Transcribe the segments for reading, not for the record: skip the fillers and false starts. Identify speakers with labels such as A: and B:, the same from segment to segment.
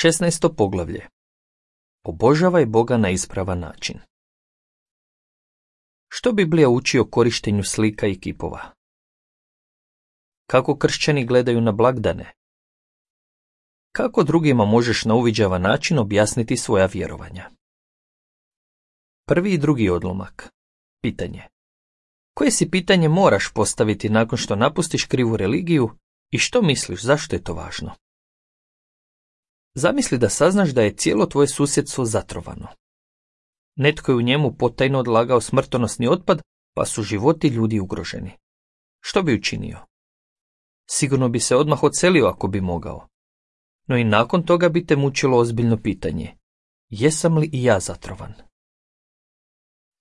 A: 16. poglavlje. Obožavaj Boga na ispravan način. Što Biblija uči o korištenju slika i kipova? Kako kršćani gledaju na blagdane? Kako drugima možeš na uviđavan način objasniti svoja vjerovanja? Prvi i drugi odlomak. Pitanje. Koje si pitanje moraš postaviti nakon što napustiš krivu religiju i što misliš zašto je to važno? Zamisli da saznaš da je cijelo tvoje susjedstvo zatrovano. Netko je u njemu potajno odlagao smrtonosni otpad, pa su životi ljudi ugroženi. Što bi učinio? Sigurno bi se odmah odselio ako bi mogao. No i nakon toga bi te mučilo ozbiljno pitanje. Jesam li i ja zatrovan?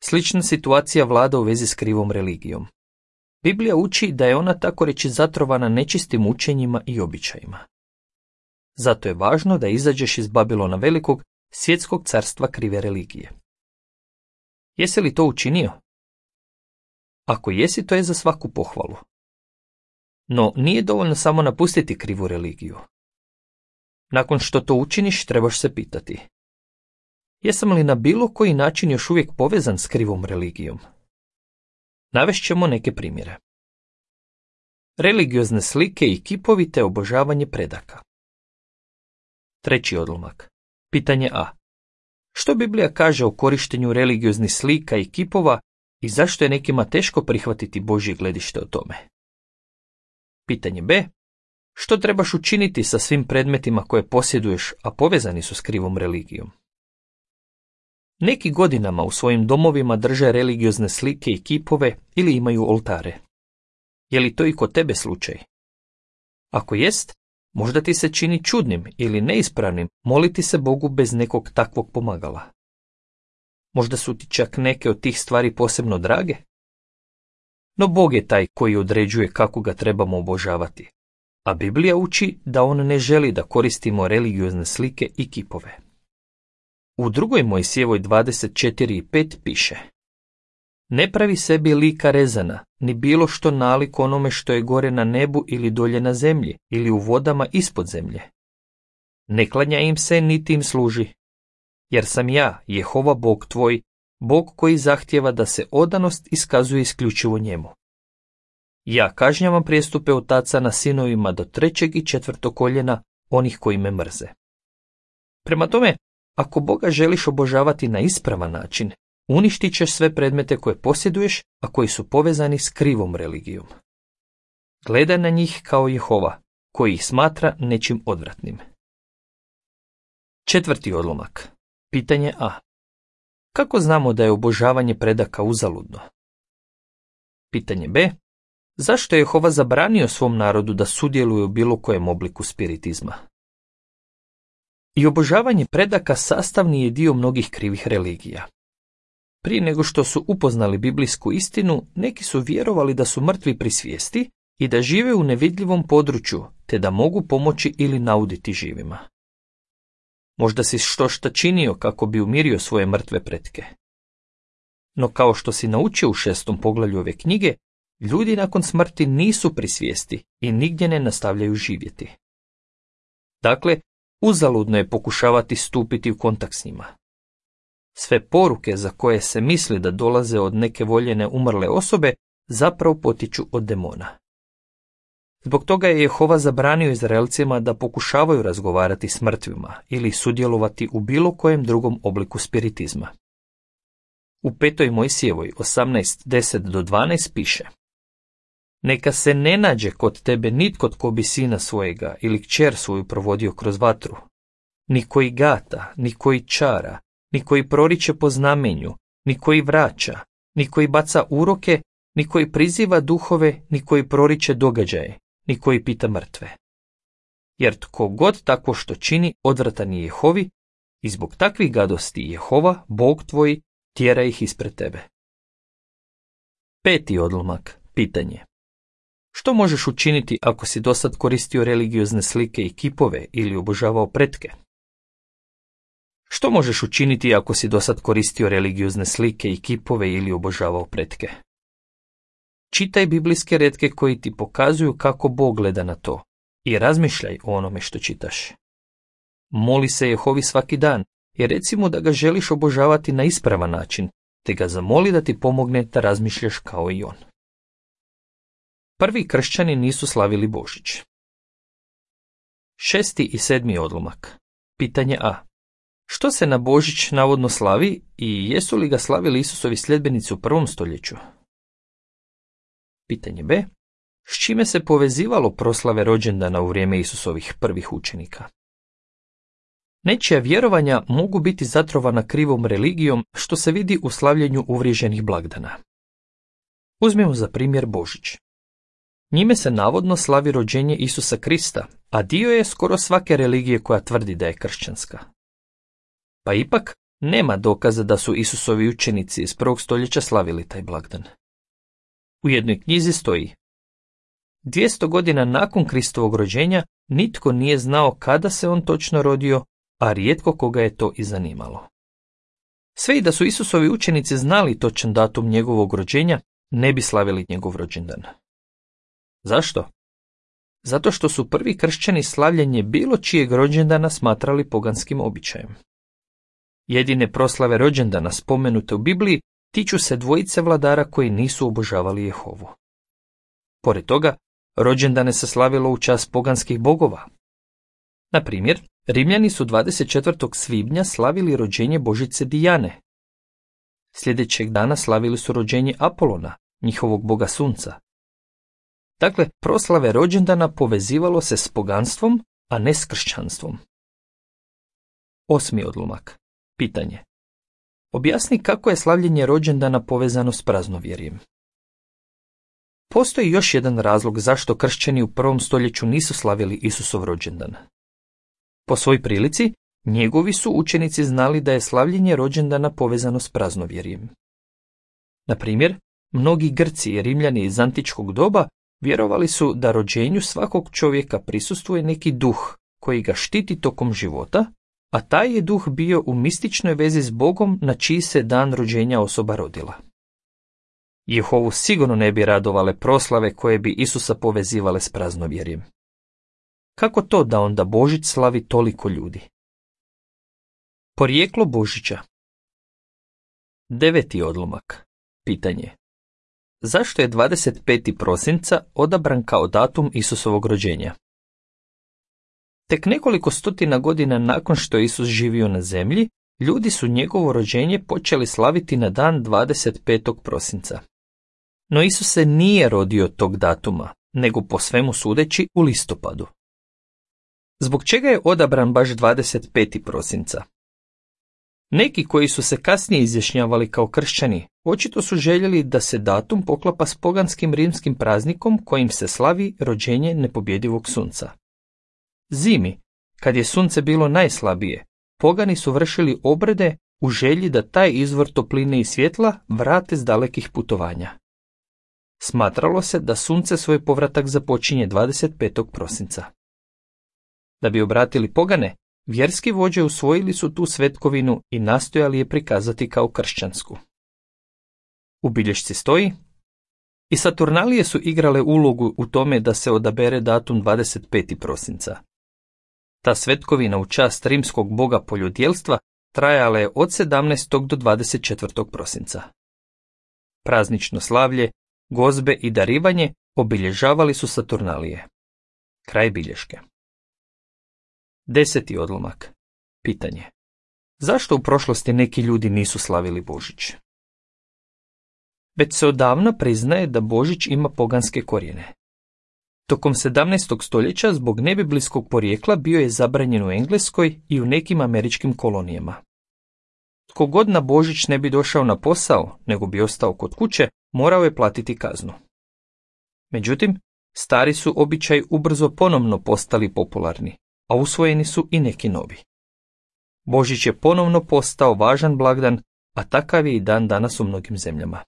A: Slična situacija vlada u vezi s krivom religijom. Biblija uči da je ona tako reći zatrovana nečistim učenjima i običajima. Zato je važno da izađeš iz Babilona velikog, svjetskog carstva krive religije. Jesi li to učinio? Ako jesi, to je za svaku pohvalu. No, nije dovoljno samo napustiti krivu religiju. Nakon što to učiniš, trebaš se pitati. Jesam li na bilo koji način još uvijek povezan s krivom religijom? Navest ćemo neke primjere. Religiozne slike i kipovi te obožavanje predaka. Treći odlomak. Pitanje A. Što Biblija kaže o korištenju religioznih slika i kipova i zašto je nekima teško prihvatiti Božje gledište o tome? Pitanje B. Što trebaš učiniti sa svim predmetima koje posjeduješ, a povezani su s krivom religijom? Neki godinama u svojim domovima drže religiozne slike i kipove ili imaju oltare. Je li to i kod tebe slučaj? Ako jest, možda ti se čini čudnim ili neispravnim moliti se Bogu bez nekog takvog pomagala. Možda su ti čak neke od tih stvari posebno drage? No Bog je taj koji određuje kako ga trebamo obožavati, a Biblija uči da on ne želi da koristimo religiozne slike i kipove. U 2. Mojsijevoj 24:5 piše: Ne pravi sebi lika rezana, ni bilo što nalik onome što je gore na nebu ili dolje na zemlji, ili u vodama ispod zemlje. Ne klanja im se, niti im služi. Jer sam ja, Jehova Bog tvoj, Bog koji zahtijeva da se odanost iskazuje isključivo njemu. Ja kažnjavam prijestupe otaca na sinovima do 3. i 4. koljena onih koji me mrze. Prema tome, ako Boga želiš obožavati na ispravan način, uništit ćeš sve predmete koje posjeduješ, a koji su povezani s krivom religijom. Gledaj na njih kao Jehova, koji ih smatra nečim odvratnim. Četvrti odlomak. Pitanje A. Kako znamo da je obožavanje predaka uzaludno? Pitanje B. Zašto je Jehova zabranio svom narodu da sudjeluje u bilo kojem obliku spiritizma? I obožavanje predaka sastavni je dio mnogih krivih religija. Prije nego što su upoznali biblijsku istinu, neki su vjerovali da su mrtvi pri svijesti i da žive u nevidljivom području, te da mogu pomoći ili nauditi živima. Možda si štošta činio kako bi umirio svoje mrtve pretke. No kao što si naučio u 6. poglavlju ove knjige, ljudi nakon smrti nisu pri svijesti i nigdje ne nastavljaju živjeti. Dakle, uzaludno je pokušavati stupiti u kontakt s njima. Sve poruke za koje se misli da dolaze od neke voljene umrle osobe zapravo potiču od demona. Zbog toga je Jehova zabranio Izraelcima da pokušavaju razgovarati s mrtvima ili sudjelovati u bilo kojem drugom obliku spiritizma. U 5. Mojsijevoj 18:10-12 piše: Neka se ne nađe kod tebe nitko tko bi sina svojega ili kćer svoju provodio kroz vatru, ni koji gata, ni koji čara, ni koji proriče po znamenju, ni koji vraća, ni koji baca uroke, ni koji priziva duhove, ni koji proriče događaje, ni koji pita mrtve. Jer tko god tako što čini, odvratan je Jehovi, i zbog takvih gadosti Jehova, Bog tvoj, tjera ih ispred tebe. 5. odlomak. Pitanje. Što možeš učiniti ako si dosad koristio religiozne slike i kipove ili obožavao pretke? Što možeš učiniti ako si dosad koristio religiozne slike i kipove ili obožavao pretke? Čitaj biblijske retke koji ti pokazuju kako Bog gleda na to i razmišljaj o onome što čitaš. Moli se Jehovi svaki dan i reci mu da ga želiš obožavati na ispravan način, te ga zamoli da ti pomogne da razmišljaš kao i on. Prvi kršćani nisu slavili Božić. 6. i 7. odlomak. Pitanje A. Što se na Božić navodno slavi i jesu li ga slavili Isusovi sljedbenici u prvom stoljeću? Pitanje B. S čime se povezivalo proslave rođendana u vrijeme Isusovih prvih učenika? Nečija vjerovanja mogu biti zatrovana krivom religijom, što se vidi u slavljenju uvriježenih blagdana. Uzmimo za primjer Božić. Njime se navodno slavi rođenje Isusa Krista, a dio je skoro svake religije koja tvrdi da je kršćanska. Pa ipak nema dokaza da su Isusovi učenici iz prvog stoljeća slavili taj blagdan. U jednoj knjizi stoji: 200 godina nakon Kristovog rođenja nitko nije znao kada se on točno rodio, a rijetko koga je to i zanimalo. Sve i da su Isusovi učenici znali točan datum njegovog rođenja, ne bi slavili njegov rođendan. Zašto? Zato što su prvi kršćani slavljenje bilo čijeg rođendana smatrali poganskim običajem. Jedine proslave rođendana spomenute u Bibliji tiču se dvojice vladara koji nisu obožavali Jehovu. Pored toga, rođendane se slavilo u čast poganskih bogova. Na primjer, Rimljani su 24. svibnja slavili rođenje božice Dijane. Sljedećeg dana slavili su rođenje Apolona, njihovog boga sunca. Dakle, proslave rođendana povezivalo se s poganstvom, a ne s kršćanstvom. 8. odlomak. Pitanje. Objasni kako je slavljenje rođendana povezano s praznovjerjem. Postoji još jedan razlog zašto kršćani u prvom stoljeću nisu slavili Isusov rođendan. Po svoj prilici, njegovi su učenici znali da je slavljenje rođendana povezano s praznovjerjem. Na primjer, mnogi Grci i Rimljani iz antičkog doba vjerovali su da rođenju svakog čovjeka prisustvuje neki duh koji ga štiti tokom života, a taj je duh bio u mističnoj vezi s Bogom na čiji se dan rođenja osoba rodila. Jehovu sigurno ne bi radovale proslave koje bi Isusa povezivale s praznovjerjem. Kako to da onda Božić slavi toliko ljudi? Porijeklo Božića. 9. odlomak. Pitanje. Zašto je 25. prosinca odabran kao datum Isusovog rođenja? Tek nekoliko stotina godina nakon što je Isus živio na zemlji, ljudi su njegovo rođenje počeli slaviti na dan 25. prosinca. No Isus se nije rodio tog datuma, nego po svemu sudeći u listopadu. Zbog čega je odabran baš 25. prosinca? Neki koji su se kasnije izjašnjavali kao kršćani, očito su željeli da se datum poklapa s poganskim rimskim praznikom kojim se slavi rođenje nepobjedivog sunca. Zimi, kad je sunce bilo najslabije, pogani su vršili obrede u želji da taj izvor topline i svjetla vrate s dalekih putovanja. Smatralo se da sunce svoj povratak započinje 25. prosinca. Da bi obratili pogane, vjerski vođe usvojili su tu svetkovinu i nastojali je prikazati kao kršćansku. U bilješci stoji: i Saturnalije su igrale ulogu u tome da se odabere datum 25. prosinca. Ta svetkovina u čast rimskog boga poljodjelstva trajala je od 17. do 24. prosinca. Praznično slavlje, gozbe i darivanje obilježavali su Saturnalije. Kraj bilješke. 10. odlomak. Pitanje. Zašto u prošlosti neki ljudi nisu slavili Božić? Već se odavno priznaje da Božić ima poganske korijene. Tokom 17. stoljeća zbog nebiblijskog porijekla bio je zabranjen u Engleskoj i u nekim američkim kolonijama. Tko god na Božić ne bi došao na posao, nego bi ostao kod kuće, morao je platiti kaznu. Međutim, stari su običaji ubrzo ponovno postali popularni, a usvojeni su i neki novi. Božić je ponovno postao važan blagdan, a takav je i dan danas u mnogim zemljama.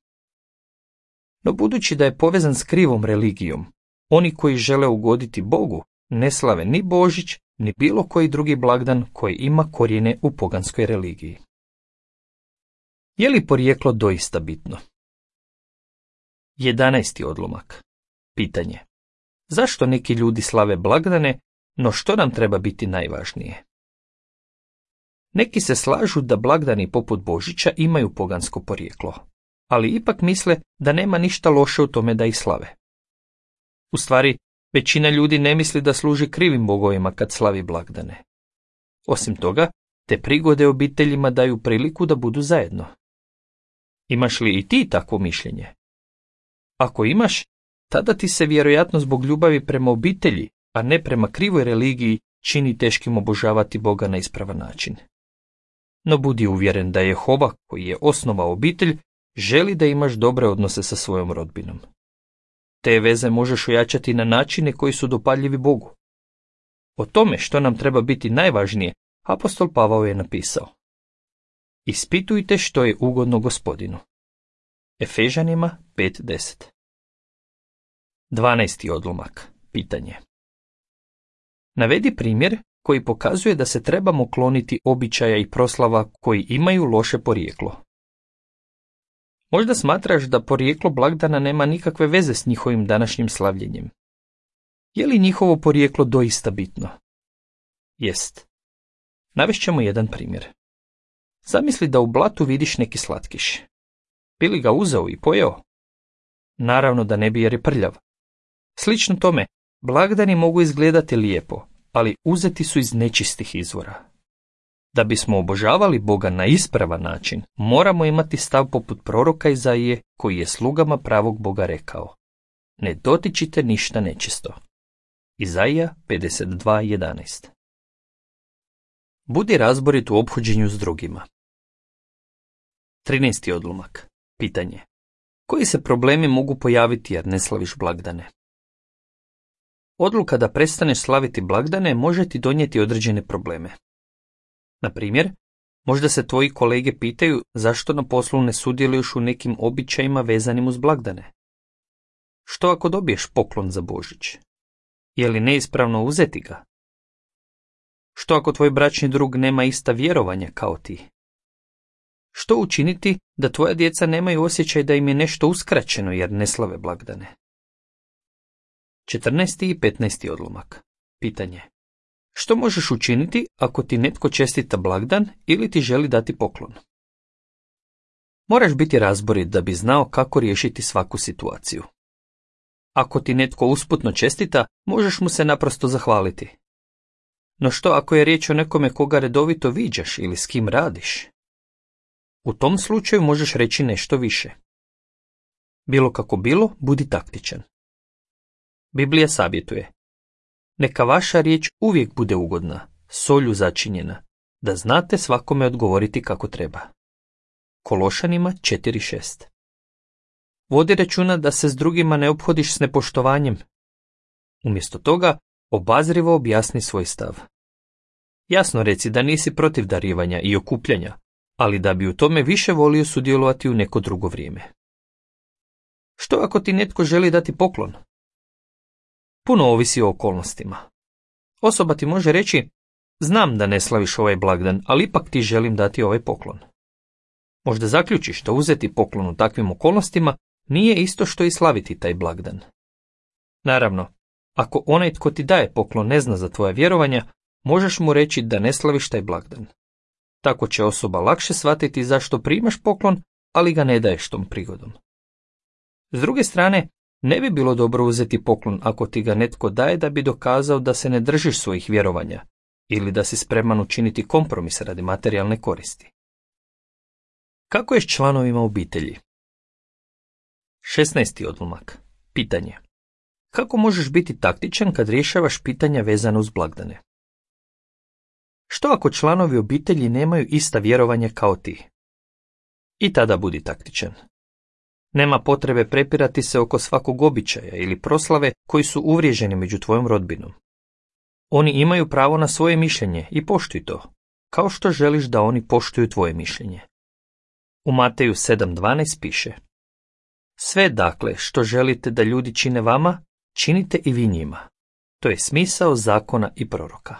A: No budući da je povezan s krivom religijom, oni koji žele ugoditi Bogu ne slave ni Božić, ni bilo koji drugi blagdan koji ima korijene u poganskoj religiji. Je li porijeklo doista bitno? 11. odlomak. Pitanje. Zašto neki ljudi slave blagdane, no što nam treba biti najvažnije? Neki se slažu da blagdani poput Božića imaju pogansko porijeklo, ali ipak misle da nema ništa loše u tome da ih slave. U stvari, većina ljudi ne misli da služi krivim bogovima kad slavi blagdane. Osim toga, te prigode obiteljima daju priliku da budu zajedno. Imaš li i ti takvo mišljenje? Ako imaš, tada ti se vjerojatno zbog ljubavi prema obitelji, a ne prema krivoj religiji, čini teškim obožavati Boga na ispravan način. No budi uvjeren da Jehova, koji je osnovao obitelj, želi da imaš dobre odnose sa svojom rodbinom. Te veze možeš ojačati na načine koji su dopadljivi Bogu. O tome što nam treba biti najvažnije, apostol Pavao je napisao: Ispitujte što je ugodno Gospodinu. Efežanima 5:10. 12. odlomak. Pitanje. Navedi primjer koji pokazuje da se trebamo kloniti običaja i proslava koji imaju loše porijeklo. Možda smatraš da porijeklo blagdana nema nikakve veze s njihovim današnjim slavljenjem. Je li njihovo porijeklo doista bitno? Jest. Navešćemo jedan primjer. Zamisli da u blatu vidiš neki slatkiš. Bi li ga uzeo i pojeo? Naravno da ne bi, jer je prljav. Slično tome, blagdani mogu izgledati lijepo, ali uzeti su iz nečistih izvora. Da bismo obožavali Boga na ispravan način, moramo imati stav poput proroka Izaije, koji je slugama pravog Boga rekao: Ne dotičite ništa nečisto. Izaija 52:11. Budi razborit u ophođenju s drugima. 13. odlomak. Pitanje. Koji se problemi mogu pojaviti jer ne slaviš blagdane? Odluka da prestaneš slaviti blagdane može ti donijeti određene probleme. Na primjer, možda se tvoji kolege pitaju zašto na poslu ne sudjeluješ u nekim običajima vezanim uz blagdane. Što ako dobiješ poklon za Božić? Je li neispravno uzeti ga? Što ako tvoj bračni drug nema ista vjerovanja kao ti? Što učiniti da tvoja djeca nemaju osjećaj da im je nešto uskraćeno jer ne slave blagdane? 14. i 15. odlomak. Pitanje. Što možeš učiniti ako ti netko čestita blagdan ili ti želi dati poklon? Moraš biti razborit da bi znao kako riješiti svaku situaciju. Ako ti netko usputno čestita, možeš mu se naprosto zahvaliti. No što ako je riječ o nekome koga redovito viđaš ili s kim radiš? U tom slučaju možeš reći nešto više. Bilo kako bilo, budi taktičan. Biblija savjetuje: Neka vaša riječ uvijek bude ugodna, solju začinjena, da znate svakome odgovoriti kako treba. Kološanima 4:6. Vodi računa da se s drugima ne ophodiš s nepoštovanjem. Umjesto toga, obazrivo objasni svoj stav. Jasno reci da nisi protiv darivanja i okupljanja, ali da bi u tome više volio sudjelovati u neko drugo vrijeme. Što ako ti netko želi dati poklon? Puno ovisi o okolnostima. Osoba ti može reći: Znam da ne slaviš ovaj blagdan, ali ipak ti želim dati ovaj poklon. Možda zaključiš da uzeti poklon u takvim okolnostima nije isto što i slaviti taj blagdan. Naravno, ako onaj tko ti daje poklon ne zna za tvoja vjerovanja, možeš mu reći da ne slaviš taj blagdan. Tako će osoba lakše shvatiti zašto primaš poklon, ali ga ne daješ tom prigodom. S druge strane, ne bi bilo dobro uzeti poklon ako ti ga netko daje da bi dokazao da se ne držiš svojih vjerovanja ili da si spreman učiniti kompromis radi materijalne koristi. Kako je s članovima obitelji? 16. odlomak. Pitanje. Kako možeš biti taktičan kad rješavaš pitanja vezana uz blagdane? Što ako članovi obitelji nemaju ista vjerovanja kao ti? I tada budi taktičan. Nema potrebe prepirati se oko svakog običaja ili proslave koji su uvriježeni među tvojom rodbinom. Oni imaju pravo na svoje mišljenje i poštuj to, kao što želiš da oni poštuju tvoje mišljenje. U Mateju 7:12 piše: Sve dakle što želite da ljudi čine vama, činite i vi njima. To je smisao zakona i proroka.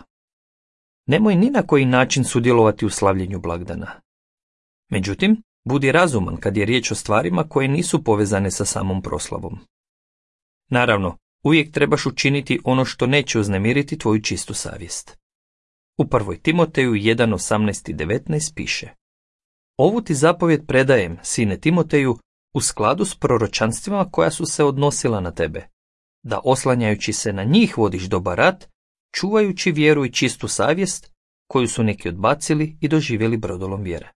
A: Nemoj ni na koji način sudjelovati u slavljenju blagdana. Međutim, budi razuman kad je riječ o stvarima koje nisu povezane sa samom proslavom. Naravno, uvijek trebaš učiniti ono što neće uznemiriti tvoju čistu savjest. U 1. Timoteju 1:18 i 19 piše: Ovu ti zapovjed predajem, sine Timoteju, u skladu s proročanstvima koja su se odnosila na tebe, da oslanjajući se na njih vodiš dobar rat, čuvajući vjeru i čistu savjest, koju su neki odbacili i doživjeli brodolom vjere.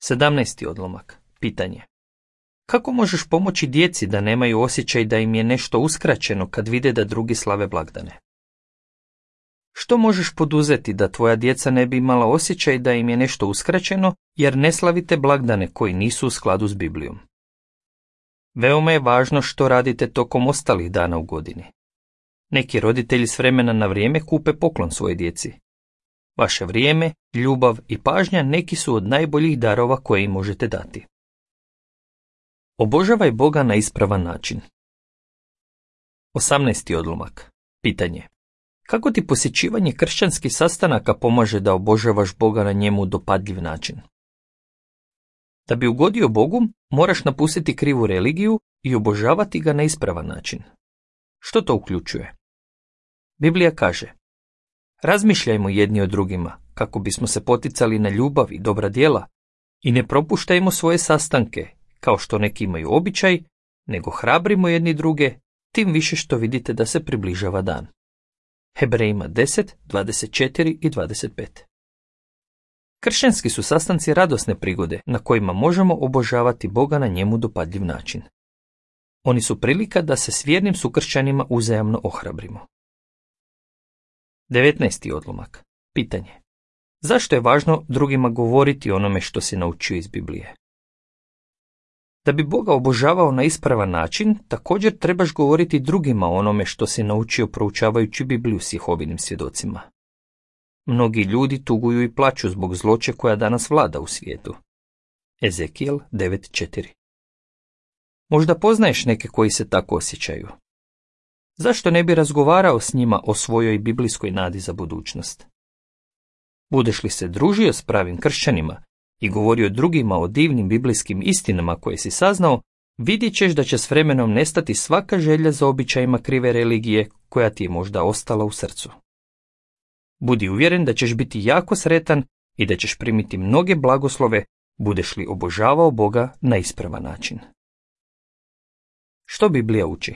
A: 17. odlomak. Pitanje. Kako možeš pomoći djeci da nemaju osjećaj da im je nešto uskraćeno kad vide da drugi slave blagdane? Što možeš poduzeti da tvoja djeca ne bi imala osjećaj da im je nešto uskraćeno jer ne slavite blagdane koji nisu u skladu s Biblijom? Veoma je važno što radite tokom ostalih dana u godini. Neki roditelji s vremena na vrijeme kupe poklon svojoj djeci. Vaše vrijeme, ljubav i pažnja neki su od najboljih darova koje im možete dati. Obožavaj Boga na ispravan način. 18. odlomak. Pitanje. Kako ti posjećivanje kršćanskih sastanaka pomaže da obožavaš Boga na njemu dopadljiv način? Da bi ugodio Bogu, moraš napustiti krivu religiju i obožavati ga na ispravan način. Što to uključuje? Biblija kaže: razmišljajmo jedni o drugima kako bismo se poticali na ljubav i dobra djela i ne propuštajmo svoje sastanke, kao što neki imaju običaj, nego hrabrimo jedni druge, tim više što vidite da se približava dan. Hebrejima 10, 24 i 25. Kršćanski su sastanci radosne prigode na kojima možemo obožavati Boga na njemu dopadljiv način. Oni su prilika da se s vjernim sukršćanima uzajamno ohrabrimo. 19. odlomak. Pitanje. Zašto je važno drugima govoriti o onome što si naučio iz Biblije? Da bi Boga obožavao na ispravan način, također trebaš govoriti drugima o onome što si naučio proučavajući Bibliju s Jehovinim svjedocima. Mnogi ljudi tuguju i plaću zbog zloće koja danas vlada u svijetu. Ezekijel 9.4. Možda poznaješ neke koji se tako osjećaju. Zašto ne bi razgovarao s njima o svojoj biblijskoj nadi za budućnost? Budeš li se družio s pravim kršćanima i govorio drugima o divnim biblijskim istinama koje si saznao, vidjet ćeš da će s vremenom nestati svaka želja za običajima krive religije koja ti je možda ostala u srcu. Budi uvjeren da ćeš biti jako sretan i da ćeš primiti mnoge blagoslove budeš li obožavao Boga na ispravan način. Što Biblija uči?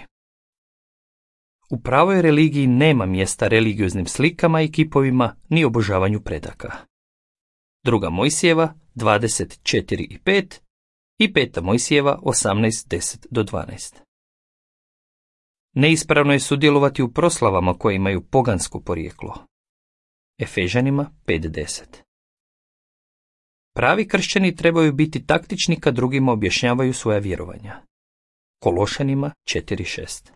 A: U pravoj religiji nema mjesta religioznim slikama i kipovima ni obožavanju predaka. 2. Mojsijeva 24 i 5 i 5. Mojsijeva 18, 10-12. Neispravno je sudjelovati u proslavama koje imaju pogansko porijeklo. Efežanima 5.10. Pravi kršćani trebaju biti taktični kad drugima objašnjavaju svoja vjerovanja. Kološanima 4.6.